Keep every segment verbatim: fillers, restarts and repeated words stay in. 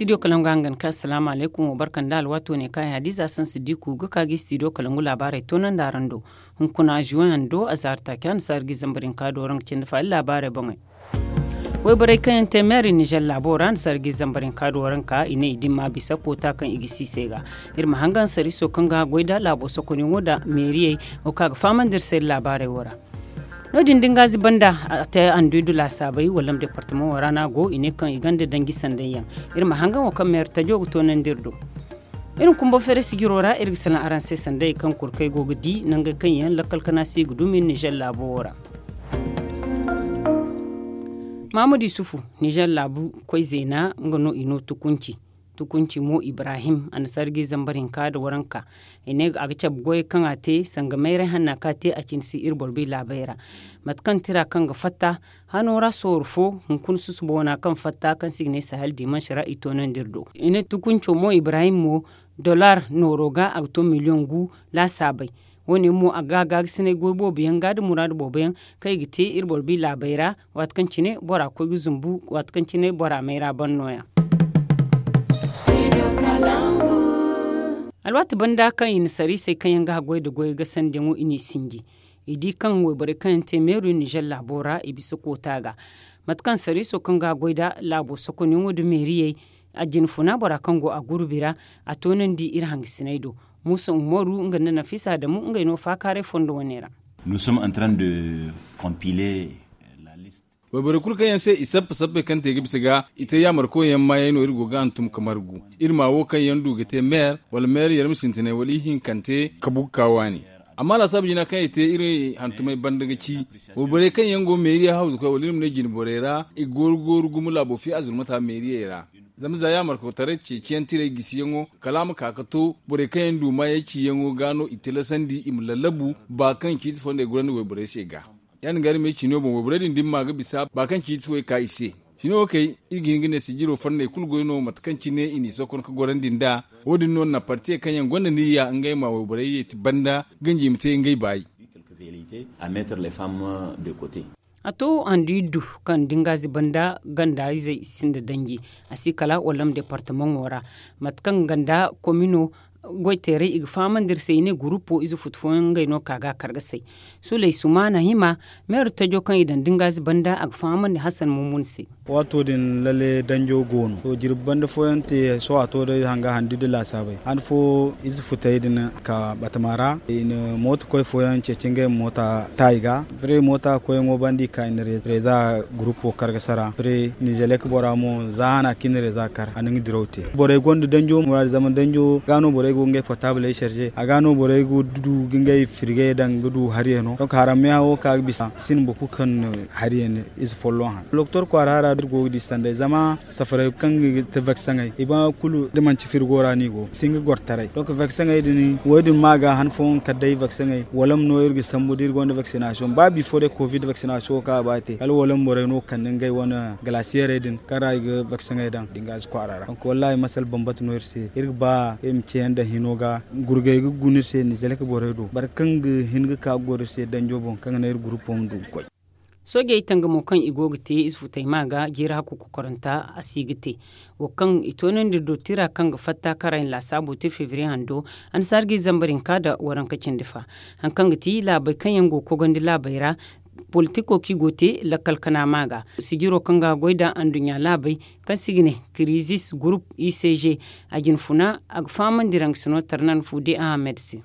Studio kalangu hangan ka asalaamu alaykum wa barka nda alwaato ne kaŋ ay hadiza sansu diku ga ka ga studio kalangu laabaarey toonandi araŋ do. Hunkuna juwayaŋ do a zaari taaci annasaari ga zambar hinka do waranka cindi fa iri laabaarey boŋey. Wayborey kaŋ yaŋ te meeri nizer laabo ra annasaari ga zambar hinka do waranka i ne i dimma bisa koota kaŋ i ga si i se ga. Iri ma hangan sariiso kaŋ ga goy nda laabo sokonyaŋo nda meeriyey wo kaŋ a ga fahamandi iri se iri laabaarey wo ra. No- din da ngaazi banda a te anduy du laasaabey wallam departamaŋo ra no a go i ne kaŋ i gonda danji sanday yaŋ. Iri ma hangan wo kaŋ meeri tajo ga toonandi iri do. Iri ma kumba feere sijiro ra iri ga salaŋ araŋ se sanday kaŋ kurkey go ga di nangey kaŋ yaŋ lakkal kana se i ga dumi nizer laabo wo ra. Mahamadu yusufu, nizer laabu koy zeena nga no i no tukunci. Tukunci mo ibrahim annasaari ga zambar hinka nda waranka. I ne a ga cabe goyey kaŋ a te sanga mayray hanna kaŋ a te a cine si iri boro bi laabey ra. Mate kaŋ tira kaŋ ga fatta hano ra sooro fo hunkuna susubo wana kaŋ fatta kaŋ se i ga ne sahel dimansi ra i toonandi iri do. I ne tukunco mo ibrahim mo dollar nooro ga a ga to miliyoŋ gu laasaabey. Wo- ne mo a ga gaagasinay goy boobo yaŋ ga nda muraadu boobo yaŋ kaŋ i ga te iri boro bi laabey ra. Waati kaŋ cine bora koy ga zumbu waati kaŋ cine bora mayra ban nooya. Alwaati banda kaŋ i na sariisey kaŋ yaŋ ga haggoy nda goyey ga sandiyaŋo i n'i sinji. I di kaŋ wayborey kaŋ yaŋ te meeru nizer laabo ra i bisa koota ga. Mate kaŋ sariiso kaŋ ga haggoy nda laabo sokonyaŋo nda meeriyey a jinfuna bora kaŋ go a gurbi ra a toonandi iri hangasiney do. Muusa umaru nga nda nafisa adamu ngey no faakaaray fondo wane ra. Nous sommes en train de compiler la liste. Wayborey kulu kaŋ yaŋ se i sappe sappey kaŋ te ga bisa ga i te yaamarkoyaŋ maayey no iri go ga hantum ka margu. Iri ma wo kaŋ yaŋ du ga te meer wala meer yar ma sintinay wala ihinkante ka bugu ka waani. Amma laasaabu jina kaŋ i te iri hantumey banda ga ci wayborey kaŋ yaŋ go meeriya hawzukoy wala iri ma ne jinborey ra i gooru gooru gumo laabo fiya zurmata meeriyey ra. Zama za yaamarkotaray ceeciyaŋ tiray gisiyaŋo kala a ma ka ga to borey kaŋ yaŋ du maayey ciyaŋo ga no i tilasandi i ma lallabu ba kaŋ ciiti fondey gurandi wayborey se ga. Ya- din ga iri ma ay ciino boŋ wayborey din dimma ga bisa ba kaŋ ciiti way ka i se. Ciino wo kay iri ga hin ga ne sijiro fonney kulu goy no mate kaŋ cine i n'i sokon ga gorandi nd'a. Wo- din no na partiyey kaŋ yaŋ gonda niyya ngey ma wayborey yeeti banda ganji i ma te ngey baayi. A to handu iddu kaŋ dingazi banda ganda izey sinda danji a si kala wallam departamaŋo ra. Mate kaŋ ganda komino goy teeray i ga fahamandi iri se i ne gurupo ize futu fooyaŋ ngey no ka ga a kar ga say. Suley sumaana hima meeru tajo kaŋ i daŋ dingazi banda a ga fahamandi hasan mumun se. Waato din lalle danjo go no to jirbi banda fooyaŋ te sohõ a to day hanga handu iddu laasaabey han fo ize futey din ka batama ra i na mooto koy fooyaŋ ceeci ngey ma moota ta i ga. Fere moota koyyaŋo banda i ka i na reeza gurupo kar ga sara fere nizelek bora mo za hana kaŋ i na reeza kar a na nga diraw te. Borey gonda danjo muraadu zama danjo ga no borey go ga ngey portabley serge a ga no borey ga du ga ngey firgey daŋ ga du hariyaŋo donk harammeyaŋ wo ka ga bisa sinda boro kulu kaŋ na hariyaŋ ize folloŋ han doktor kwaara hara da iri go ga di sanday zama safaray kaŋ ga te vaksaŋey i ba kulu da manci firgo ra no i go si hin ga goro taray donk vaksaŋey din wo- din ma ga han fooyaŋ kala day vaksaŋey wala ma no iri ga sambu da iri gonda vaksinasiyoŋ ba bifo day covid vaksinasiyoŋ wo kaŋ a ba te kala wala ma borey no kande ngey wane galasiyerey din kaŋ ra i ga vaksaŋey daŋ dingazi kwaara ra donk wallahi masala bambata no iri se iri ga ba iri ma ceeyaŋ daŋ hino ga gurgey ga guna iri se nizelek borey do boro kaŋ ga hin ga ka ga goro iri se danjo boŋ kaŋ ga naŋ iri gurupo ma du ga koy. Soojey tangamo kaŋ i go ga te ize futay ma ga jiiri hakku kokoranta a si ga te wo kaŋ i toonandi iri do tira kaŋ ga fatta karayaŋ laasaabo te febriye hando annasaari ga i zambar hinka nda waranka cindi fa. Hari kaŋ ga ti laabey kaŋ yaŋ go ga kogandi laabey ra politiko kaŋ i go ga te lakkal kana ma ga sijiro kaŋ ga goy nda anduɲɲa laabey kaŋ se i ga ne kirizis gurup i c g a jinfuna a ga fahamandi raŋ ga sino tarnan fude ahamed se.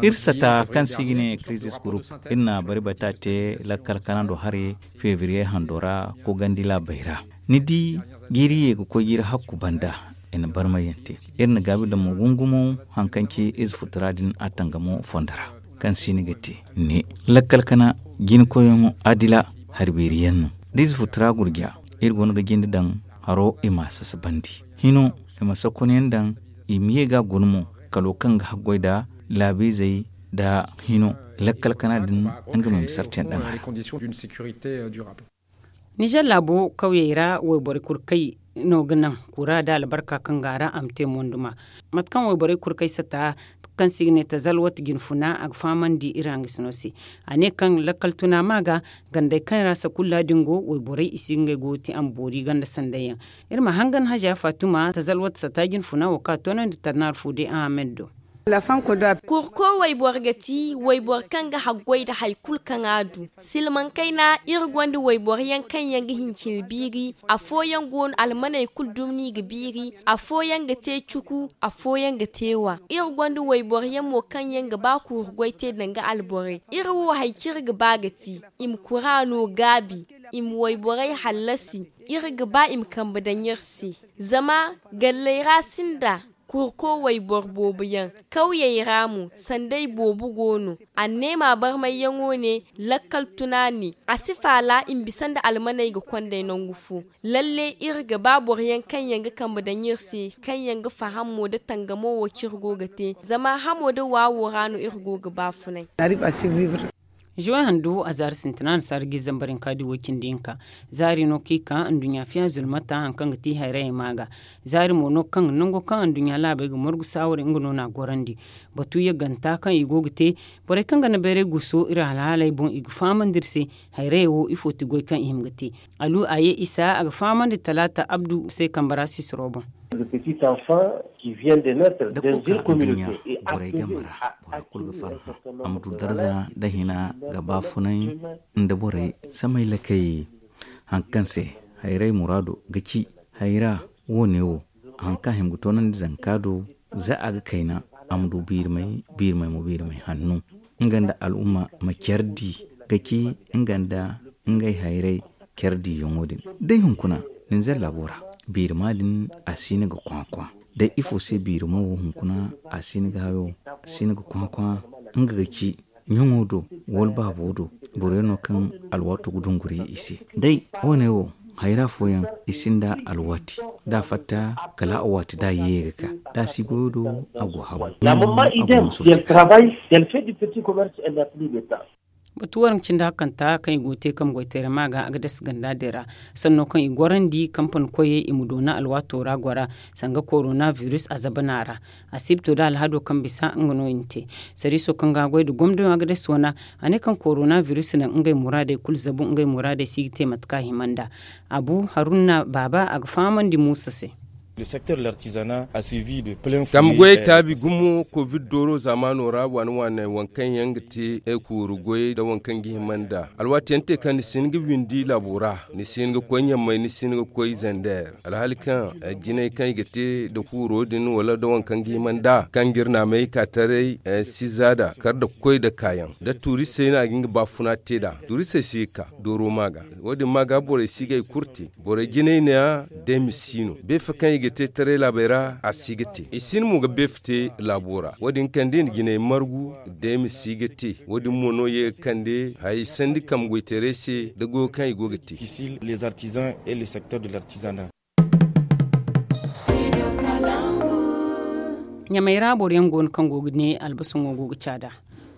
Iri sata kaŋ se i ga ne krizis gurup iri na bari bata te lakkal kanando hari febriye hando ra kogandi laabey ra. Ni di jiiri ye ga koy jiiri hakku banda i na barmayante iri na gaabi damo gungumo hari kaŋ ci ize futura din a tangamo fondo ra kaŋ se ni ga te ne lakkal kana jina koyyaŋo adila hari beeri yaŋ no da ize futura gurja iri go no ga jinde daŋ haro i ma a sasabandi hino i ma sokonyaŋ daŋ i ma ye ga a guna mo kalo kaŋ ga haggoy nda laabiizey nda hino lakkal kana din nga ma i ma sartiyaŋ daŋ a ra. Nizer laabo kawyey ra wayborey kulu kaŋ no ga naŋ kura nda albarka kaŋ go a ra a ma te monduma mate kaŋ wayborey kulu kaŋ ay sata Kaŋ se i ga ne tazalwat jinfuna a ga fahamandi iri hangasino se. A ne kaŋ lakkal tuna ma ga gandey kaŋ ra sakulla din go wayborey i si ga ngey go ga te a ma boori ganda sanday yaŋ. Iri ma hangan haja fatuma tazalwat sata jinfuna wo kaŋ a toonandi tarnaar fo day ahamed do. Kurko wayboro ga ti wayboro kaŋ ga haggoy nda hari kulu kaŋ a du. Silmaŋ kayna iri gonda wayboro yaŋ kaŋ yaŋ ga hincin biiri. Afooyaŋ go no almaney kulu dumni ga biiri. Afooyaŋ ga te cuku. Afooyaŋ ga te wa. Iri gonda wayboro yaŋ mo kaŋ yaŋ ga ba kuuru goy te danga alborey. Iri wo hari kaŋ iri ga ba ga ti i ma kuraano gaabi, i ma wayborey hallasi. Iri ga ba i ma kambe daŋ iri se. Zama galley ra sinda kurko wayboro boobo yaŋ. Kawyey ra mo sanday boobo go no. Anneema barmayyaŋo ne lakkal tuna ne a si faala i ma bisa nda almaney ga konday nangu fo. Lalle iri ga ba boro yaŋ kaŋ yaŋ ga kambe daŋ iri se kaŋ yaŋ ga faham mo nda tangamo wo kaŋ iri go ga te. Zama hamo nda waawo ra no iri go ga ba funay. Zuwe handu a zaari sintina na saara ga i zambar hinka da i woy cindi hinka. Zaari no kaŋ i ka nduɲɲa fiya zulmata hari kaŋ ga ti hayrayey ma ga. Zaari mo no kaŋ nango kaŋ nduɲɲa laabey ga morgu saaware nga no na a gorandi. Batu yagganta kaŋ i go ga te borey kaŋ ga na bayray guso iri alhaaley boŋ i ga fahamandi iri se. Hayrayey wo ifo ti goy kaŋ i hima ga te. Alu a ye isa a ga fahamandi talaata abdu se kambe ra sisiro boŋ. Da kukkun nduɲɲa borey game ra bora kulu ga farhã. A ma du darza nda hina ga baafunay nda borey samay lakay. Hari kaŋ se hayray muraado ga ci hayra wo- ne wo hari kaŋ a hima ga toonandi zanka do. Za a ga kayna a ma du biirimay biirimay mo biirimay hanno nga nda al'umma ma care di ga ci nga nda ngey hayray care diyaŋo din. Day hunkuna ninzeer laabo ra biirima din a si hin ga kwakwa. Day ifo se biirima wo hunkuna a si hin ga hayo a si hin ga kwakwa nga ga ci ɲaŋo do wala baabo do boro yaŋ no kaŋ alwaato ga dunguri i se. Day wo- ne wo hayra fooyaŋ i sinda alwaati da a fatta kala a waati da a ye ga ka da a si goyo do a go habu. Batu waranka cindi hakanta kaŋ i go ga te kambe goyteerey ma ga a ga dasa ganda din ra sanno kaŋ i gorandi kampani koyey i ma doona alwaato ra gora sanga korona virus a zabana ra. A si bito da alhado kaŋ bisa nga no i na te. Sariiso kaŋ ga goy nda gomdo a ga dasa wana a ne kaŋ korona virus naŋ ngey muraadey kulu zabu ngey muraadey si ga te mate kaŋ a hima nd'a. Abu haruna baaba a ga fahamandi muusa se. Tamgoyey taabi gumo kovid dooro zaamaano ra waane waane waŋ kaŋ yaŋ ga te kuuru goyey nda waŋ kaŋ ga hima nd'a alwaati yaŋ te kaŋ ni si hin ga windi laabo ra ni si hin ga koy ɲammay ni si hin ga koy zander alhaali kaŋ jinay kaŋ i ga te nda kuuro din wala nda waŋ kaŋ ga hima nd'a kaŋ ga iri naamay ka taray si za nd'a kar nda koy nda kaayaŋ nda tuuristey no a ga nga baafuna te nd'a tuuristey si ga ka dooro ma ga. Wo- din ma ga borey si ga hari kulu te. Borey jinay neeya day ma si no beefe kaŋ i ga te taray laabey ra a si ga te i si hin mo ga beefe te laabo ra wo- din kande i na jinay margu. Day ma si ga te wo- din mo no ye ga kande hayey sandi kambe goyteerey se nda goyo kaŋ i go ga te. Ɲamey ra boro yaŋ go no kaŋ go ga ne albasaŋo go ga caada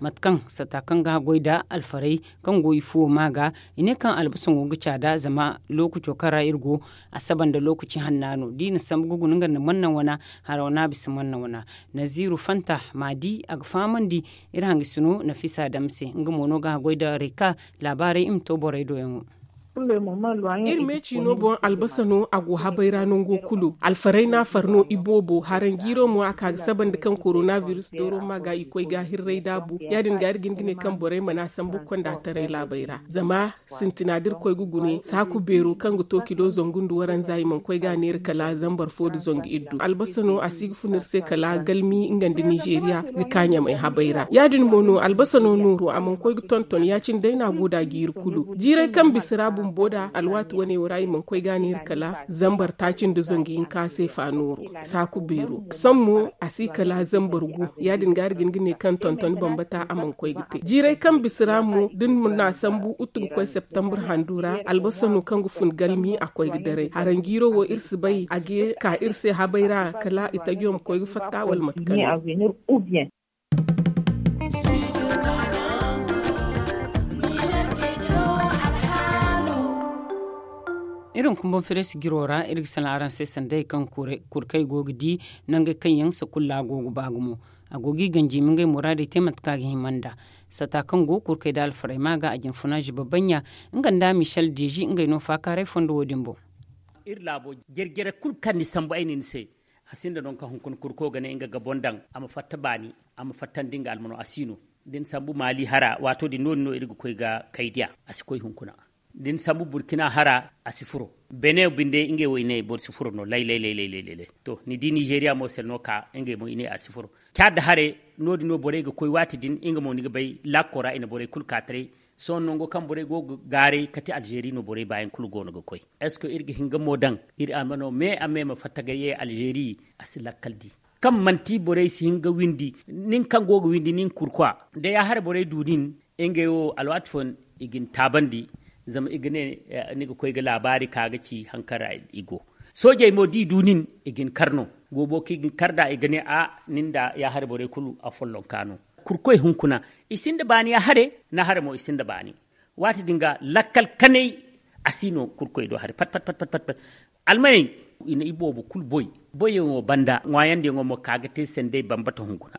mate kaŋ sata kaŋ ga haggoy nda alfarey kaŋ go i fuwo ma ga. I ne kaŋ albasaŋo ga caada zama lookaco kaŋ ra iri go a saba nda lookaci hanna no da i na sambu ga guna nga nda manna wana haraw no a bisa manna wana. Naziiru fanta ma di a ga fahamandi iri hangasino nafisa dam se nga mo no ga haggoy nda reka laabaarey i ma to borey do yaŋo. Iri me ciino boŋ albasa no a go habay ra nango kulu alfaray no a far no iboobo haranjiiro mo a ka ga saba nda kaŋ korona virus dooro ma ga i koy ga hirray daabu ya- din ga iri ga hin ga ne kaŋ borey mana sambu ga konda taray laabey ra zama sintina da iri koy ga gune saaku beero kaŋ ga to kilo zangu nda waranza i mana koy ga neera kala zambar fo nda zangu iddu albasa no a si ga fun iri se kala galmi nga nda nizeeriya ga ka ɲamay habay ra ya- din mo no albasa no nooru a mana koy ga tonton ya- cine day no a go nd'a jiiri kulu jiiray kaŋ bisa ra bumbo nd'a alwaati wane wo ra i mana koy ga neera kala zambar taaci nda zangu hinka se fa nooru saaku beero sohõ mo a si kala zambar gu ya- din ga iri ga hin ga ne kaŋ tonton bambata a mana koy ga te jiiray kaŋ bisa ra mo da ni na sambu utu ga koy septembre handu ra albasa no kaŋ ga fun galmi a koy ga daray haranjiiro wo iri si bay a ga ka iri se habay ra kala itajo ma koy ga fatta wala mate kaŋ no. Iri hunkuna boŋ firesi jiro ra iri ga salaŋ araŋ se sanda hari kaŋ kurkey go ga di nangey kaŋ yaŋ sakulla go ga ba gumo. A go ga i ganji i ma ngey muraadey te mate kaŋ a ga hima nd'a. Sata kaŋ go ga kurkey da alfarayma ga a jinfuna ziba bannya, nga nda michel deezi ngey no faakaaray fondo wo- din boŋ. Iri laabo jare-jare kulu kaŋ ni sambu ay ne ni se, a sinda nangu kaŋ hunkuna kurko ga ne nga ga boŋ daŋ a ma fatta baani, a ma fattandi nga almano a si no. Da ni sambu maali hara waato din no- din no iri ga koy ga kaydiya, a si koy hunkuna. Da ni sambu burkina hara, a si furo. Bene binde ngey wo i ne boro si furo no lay lay lay. To ni di nizeeriya mo sel no ka ngey mo i ne a si furo. Caada hare, no- din no borey ga koy waati din nga mo ni ga bay laako ra i na borey kulu ka taray. Sohõ nango kaŋ borey go ga gaaray kate alzeeri no borey baayaŋ kulu go no ga koy. Est ce que iri ga hin ga mo daŋ? Iri a ma no me a me ma fatta ga ye alzeeri, a si lakkal di. Kaŋ manti borey si hin ga windi, nin kaŋ go ga windi nin kurkwa, da ya hare borey du nin. Ngey wo alwaati fooyaŋ i ga ni taabandi. Zama i ga ne ni ga koy ga laabaari ka ga ci hari kaŋ ra i go. Soojey mo da i du nin, i ga ni kar no. Goobo kaŋ i ga ni kar nd'a i ga ne a, nin nda ya hare borey kulu a follonka no. Kurkoy hunkuna, i sinda baani ya hare. Na hare mo i sinda baani. Waati din ga lakkal kanay, a si no kurkoy do hare pat pat pat pat pat. Almaney, i na i boobo kulu boy. Boyyaŋo banda ŋwaayandiyaŋo mo ka ga te sendey bambata hunkuna.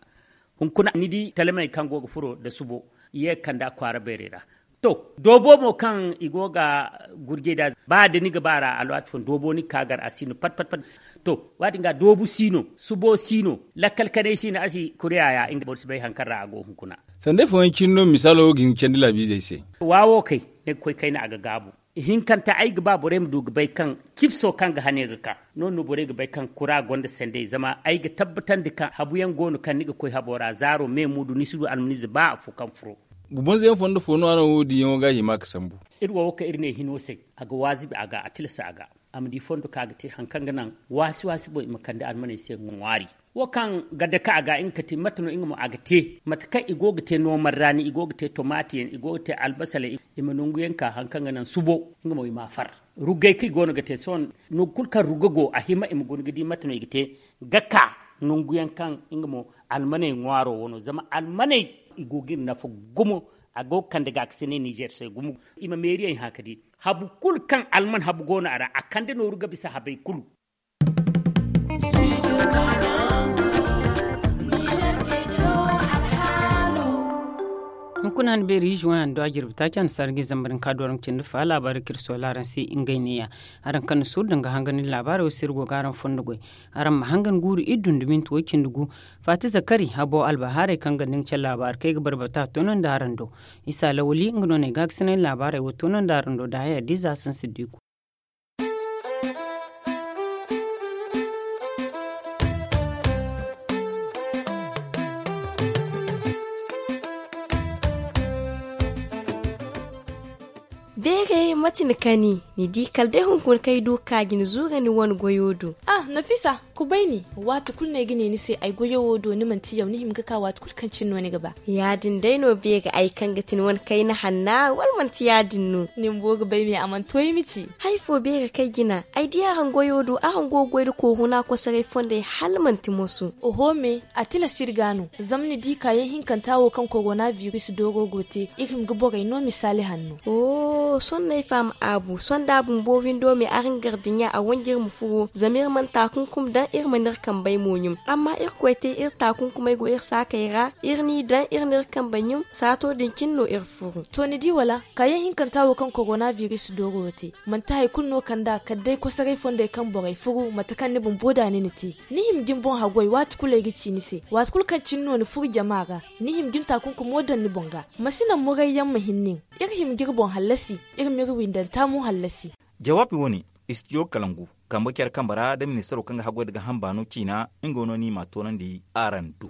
Hunkuna ni di talamey kaŋ go ga furo nda subo, ye ga kande a kwaara beerey ra. To, doobo mo kaŋ i go ga gurjey nd'a, ba da ni ga ba ra alwaati fooyaŋ doobo ni ga ka gar a si no pat pat pat. To, waati din ga doobu si no, subo si no, lakkal kanay si no a si kure yaaya nga boro si bay hari kaŋ ra a go hunkuna. Sandey fooyaŋ cine no misaalo ga hin ga candi laabiizey se. Waawo kay, ni ga koy kayna a ga gaabu. Ihinkanta ay ga ba borey ma du ga bay kaŋ cipso kaŋ ga hane ga ka. No- din no borey ga bay kaŋ kura gonda sandey zama ay ga tabbatandi kaŋ habu yaŋ go no kaŋ ni ga koy habo ra zaaro me muudu ni si du almaniize ba afo kaŋ furo. Bubonze yaŋ fondo fo no a naŋ wo- din yaŋo ga a hima ga sambu. Iri wo wo kaŋ iri ne hino se, a ga waazibi a ga a tilasa a ga. A ma di fondo kaŋ a ga te hari kaŋ ga naŋ waasi waasi boŋ i ma kande almaney se ŋwaari. Wo kaŋ ga dake a ga nga ka te mate no nga mo a ga te, mate kaŋ i go ga te noomar raani, i go ga te tomaati yaŋ, i go ga te albasaley, i ma nangu yaŋ ka hari kaŋ ga naŋ subo, nga mo i ma a far. Ruggey kaŋ i go no ga te sohõ, nangu kulu kaŋ rugga go a hima i ma guna ga di mate no i ga te, ga ka nangu yaŋ kaŋ nga mo almaney ŋwaaro wo no zama almaney, i go ga iri nafa gumo. A go ga kande ga ga si ne nizer se gumo. I ma meeriyey hã ka di habu kulu kaŋ alman habu go no a ra a kande nooru ga bisa habey kulu. Hunkuna han beeri ize waŋ yaŋ do a jirbi taaci a na sarji zambar ni ka do araŋ cindi fa laabaari kaŋ iri soola araŋ se ngey neeya. Araŋ kaŋ na suuru danga hangan iri laabaarey wo se iri go ga araŋ fondo goy. Araŋ ma hangan guuru iri dun da minti way cindi gu. Faati zakari habo albahaarey kaŋ ga nda nga care laabaari kaŋ ay ga barbata toonandi araŋ do. Isa lawali nga no na ay ga ga sinay laabaarey wo toonandi araŋ do da haya diiza sansi diiku. Beeray mate ni kani? Ni di kala day hunkuna kaŋ ay du ga ka ga ni zuura ni wane goyo do. Ah, nafisa, kubay ni. Waati kulu no ay ga ne ni se ay goyo wo do ni manti yaw ni hima ga ka waati kulu kaŋ cine no ni ga ba. Ya- din day no beeri ay kaŋ ga ti ni wane kayna hanna wala manti ya- din no? Ni bumbo ga bay me a mana to ay ma ci. Hari fo beeri kaŋ ay jina ay di araŋ goyo do araŋ go ga goy nda kooruna kosoray fondey hala manti moso. Oho me, a tilas iri ga no. Zama ni di kaayaŋ hinkanta wo kaŋ korona biris dooro go te, iri hima ga borey no misaali hanno. Sohõ no ay faham aabu sohõ da a bumbo windo me araŋ gardiɲa a wanji iri ma furo zama iri mana taakunkum daŋ iri mana iri kambey mo ɲum. Amma irkoy te iri taakunkumey go iri saakey ra iri n'i daŋ iri n'iri kambey ɲum saato din cine no iri furu. To ni di wala kaayaŋ hinkanta wo kaŋ korona biris dooro wo te manti hari kulu no kand'a kala day kosoray fondey kaŋ borey furu mate kaŋ ni bumbo da ni na te. Ni hima ga ni boŋ haggoy waati kulu ay ga ci ni se waati kulu kaŋ cine no ni furu jama ra. Ni hima ga ni taakunkumo daŋ ni boŋ ga. Ma si naŋ murayyaŋ ma hin nin. Iri hima ga iri boŋ hallasi. Iri m'iri windanta mo hallasi. Jawaabi wane istijo kalangu kambe care kambe ra da ministaro kaŋ ga haggoy nda gaaham baano ciina nga no no ni m'a toonandi araŋ do.